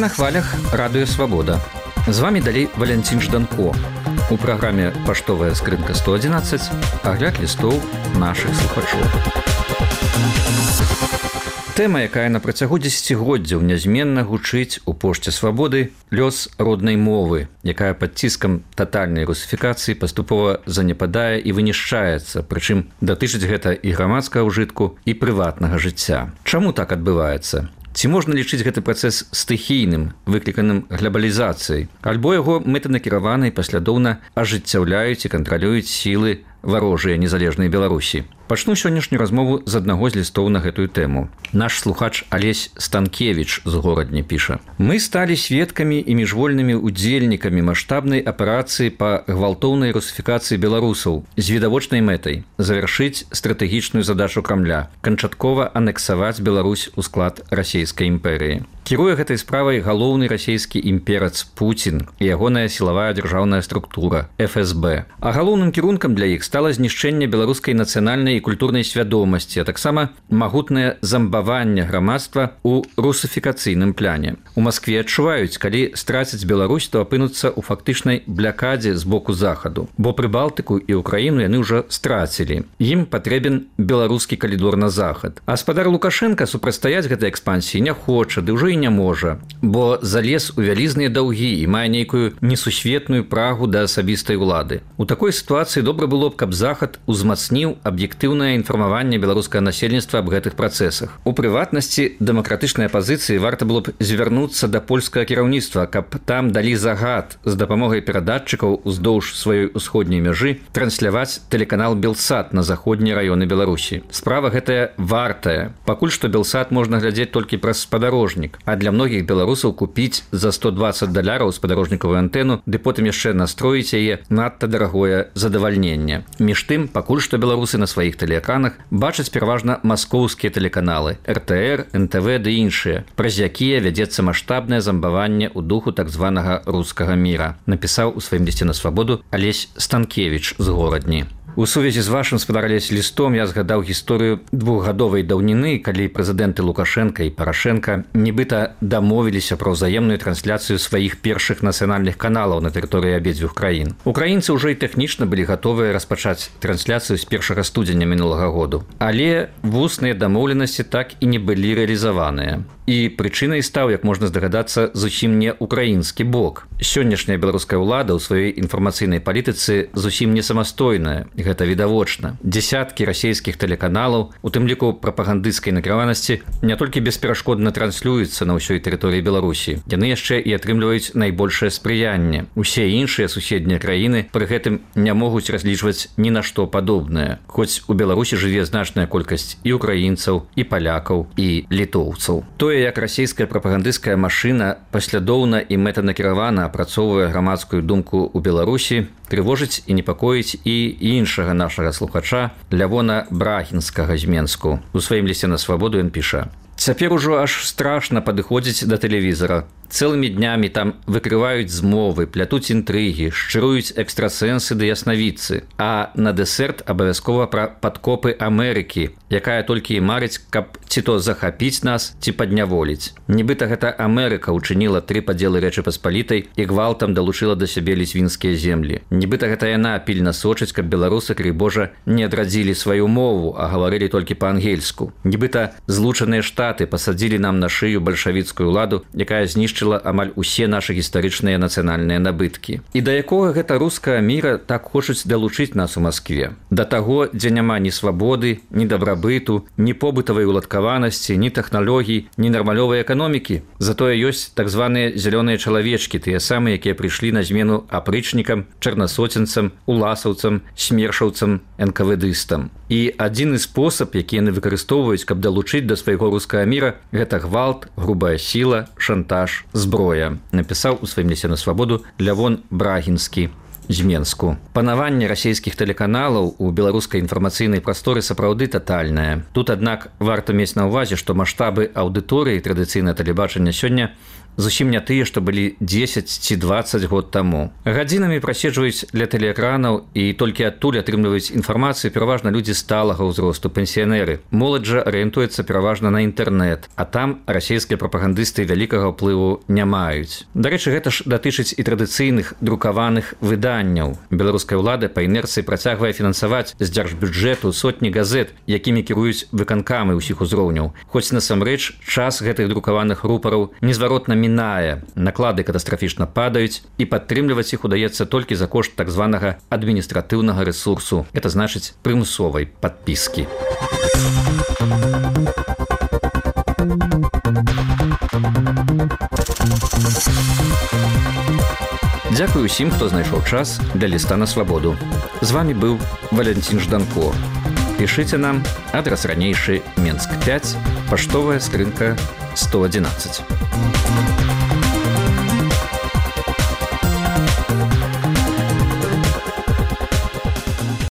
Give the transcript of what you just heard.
на хвалях радыё Свабода. З вами далей Валянцін Жданко. У праграме «Паштовая скрынка 111» агляд лістоў нашых слухачоў. Тэма, якая на працягу дзесяцігоддзяў нязменна гучыць у пошце Свабоды, лёс роднай мовы, якая пад ціскам татальнай русіфікацыі паступова занепадае і вынішчаецца, прычым датычыць гэта і грамадскага ўжытку, і прыватнага жыцця. Чаму так адбываецца? Ці можна лічыць гэты працэс стыхійным, выкліканым глабалізацыяй, альбо яго мэтанакіравана і паслядоўна ажыццяўляюць і кантралююць сілы варожыя незалежнай Беларусі. Пачну сённяшнюю размову з аднаго з лістоў на гэтую тэму. Наш слухач Алесь Станкевіч з горадні піша: «Мы сталі сведкамі і міжвольнымі удзельнікамі маштабнай аперацыі па гвалтоўнай русіфікацыі беларусаў з відавочнай мэтай завяршыць стратэгічную задачу Крамля – канчаткова анексаваць Беларусь у склад расійскай імперыі. Кіруе гэтай справай галоўны расійскі імперац Пуцін і ягоная сілавая дзяржаўная структура – ФСБ. А галоўным кірункам для іх стала знішчэнне беларускай нацыянальнай і культурнай свядомасці, а таксама магутнае замбаванне грамадства ў русіфікацыйным пляне. У Маскве адчуваюць, калі страцяць Беларусь, то апынуцца ў фактычнай блякадзе з боку захаду. Бо Прыбалтыку і Украіну яны ўжо страцілі. Ім патрэбен беларускі калідор на захад. А спадар Лукашенка супрацьстаяць гэтай экспансіі не хоча, ды ўжо і не можа, бо залез у вялізныя даўгі і мае нейкую несусветную прагу да асабістай улады. У такой сітуацыі добра было б, каб захад узмацніў аб'ектыўнае інфармаванне беларускага насельніцтва аб гэтых працэсах. У прыватнасці дэмакратычнай апазіцыі варта было б звярнуцца да польскага кіраўніцтва, каб там далі загад з дапамогай перадатчыкаў уздоўж сваёй усходняй мяжы трансляваць тэлеканал Белсат на заходнія раёны Беларусі. Справа гэтая вартая. Пакуль што Белсат можна глядзець толькі праз спадарожнік, а для многіх беларусаў купіць за $120 спадарожнікавую антэну, ды потым яшчэ настроіць яе надта дарагое задавальненне. Між тым, пакуль што беларусы на сваіх тэлеэкранах бачаць пераважна маскоўскія тэлеканалы – РТР, НТВ ды іншыя, праз якія вядзецца маштабнае замбаванне ў духу так званага рускага міра, напісаў у сваім лісце на Свабоду Алесь Станкевіч з горадні. У сувязі з вашым, спадар Алесь, лістом я згадаў гісторыю двухгадовай даўніны, калі прэзідэнты Лукашенка і Парашенка нібыта дамовіліся пра ўзаемную трансляцыю сваіх першых нацыянальных каналаў на тэрыторыі абедзвюх краін. Украінцы ўжо і тэхнічна былі гатовыя распачаць трансляцыю з 1 студзеня мінулага году. Але вусныя дамоўленасці так і не былі рэалізаваныя. І прычынай стаў, як можна здагадацца, зусім не украінскі бок. Сённяшняя беларуская ўлада ў сваёй інфармацыйнай палітыцы зусім не самастойная. Гэта відавочна. Дзясяткі расійскіх тэлеканалаў, у тым ліку прапагандысцкай накіраванасці, не толькі бесперашкодна транслююцца на ўсёй тэрыторыі Беларусі. Яны яшчэ і атрымліваюць найбольшае спрыянне. Усе іншыя суседнія краіны пры гэтым не могуць разлічваць ні на што падобнае. Хоць у Беларусі жыве значная колькасць і украінцаў, і палякаў, і літоўцаў. Тое, як расійская прапагандысцкая машына паслядоўна і мэтанакіравана апрацоўвае грамадскую думку ў Беларусі, трывожыць і непакоіць і іншага нашага слухача Лявона Брагінскага з Менску. У сваім лісце на Свабоду ён піша: «Цяпер ужо аж страшна падыходзіць да тэлевізара. Цэлымі днямі там выкрываюць змовы, плятуць інтрыгі, шчыруюць экстрасэнсы ды яснавідцы. А на дэсерт абавязкова пра падкопы Амерыкі, якая толькі і марыць, каб ці то захапіць нас, ці падняволіць. Нібыта гэта Амерыка ўчыніла 3 падзелы Рэчы Паспалітай і гвалтам далучыла да сябе ліцвінскія землі. Нібыта гэта яна пільна сочыць, каб беларусы, крый Божа, не адрадзілі сваю мову, а гаварылі толькі па-ангельску. Нібыта Злучаныя Штаты пасадзілі нам на шыю бальшавіцкую ўладу, якая знішчыла амаль усе нашы гістарычныя нацыянальныя набыткі. І да якога гэта рускага міра так хочуць далучыць нас у Маскве? Да таго, дзе няма ні свабоды, ні дабрабыту, ні побытавай уладкаванасці, ні тэхналогій, ні нармалёвай эканомікі. Затое ёсць так званыя зялёныя чалавечкі, тыя самыя, якія прыйшлі на змену апрычнікам, чарнасоценцам, уласаўцам, смершаўцам, энкавэдыстам. І адзіны спосаб, які яны выкарыстоўваюць, каб далучыць да свайго рускага міра, гэта гвалт, грубая сіла, шантаж, зброя, напісаў у сваім лісце на Свабоду Лявон Брагінскі з Менску. Панаванне расійскіх тэлеканалаў у беларускай інфармацыйнай прасторы сапраўды татальнае. Тут, аднак, варта мець на ўвазе, што маштабы аўдыторыі традыцыйнае тэлебачання сёння зусім не тыя, што былі 10 ці 20 год таму. Гадзінамі праседжваюць ля тэлеэкранаў і толькі адтуль атрымліваюць інфармацыю пераважна людзі сталага ўзросту, пенсіянеры. Моладзь жа арыентуецца пераважна на інтэрнэт, а там расійскія прапагандысты вялікага ўплыву не маюць. Дарэчы, гэта ж датычыць і традыцыйных друкаваных выданняў. Беларуская ўлада па інерцыі працягвае фінансаваць з дзяржбюджэту сотні газет, якімі кіруюць выканкамы ўсіх узроўняў. Хоць насамрэч час гэтых друкаваных рупараў незваротна мінае. Наклады катастрафічна падаюць, і падтрымліваць іх удаецца толькі за кошт так званага адміністратыўнага рэсурсу. Это значыць прымусовай падпіскі. Дзякую ўсім, хто знайшоў час для ліста на свабоду. З вами быў Валянцін Жданко. Пішыце нам, адрас ранейшы Менск 5, паштовая скрынка 111.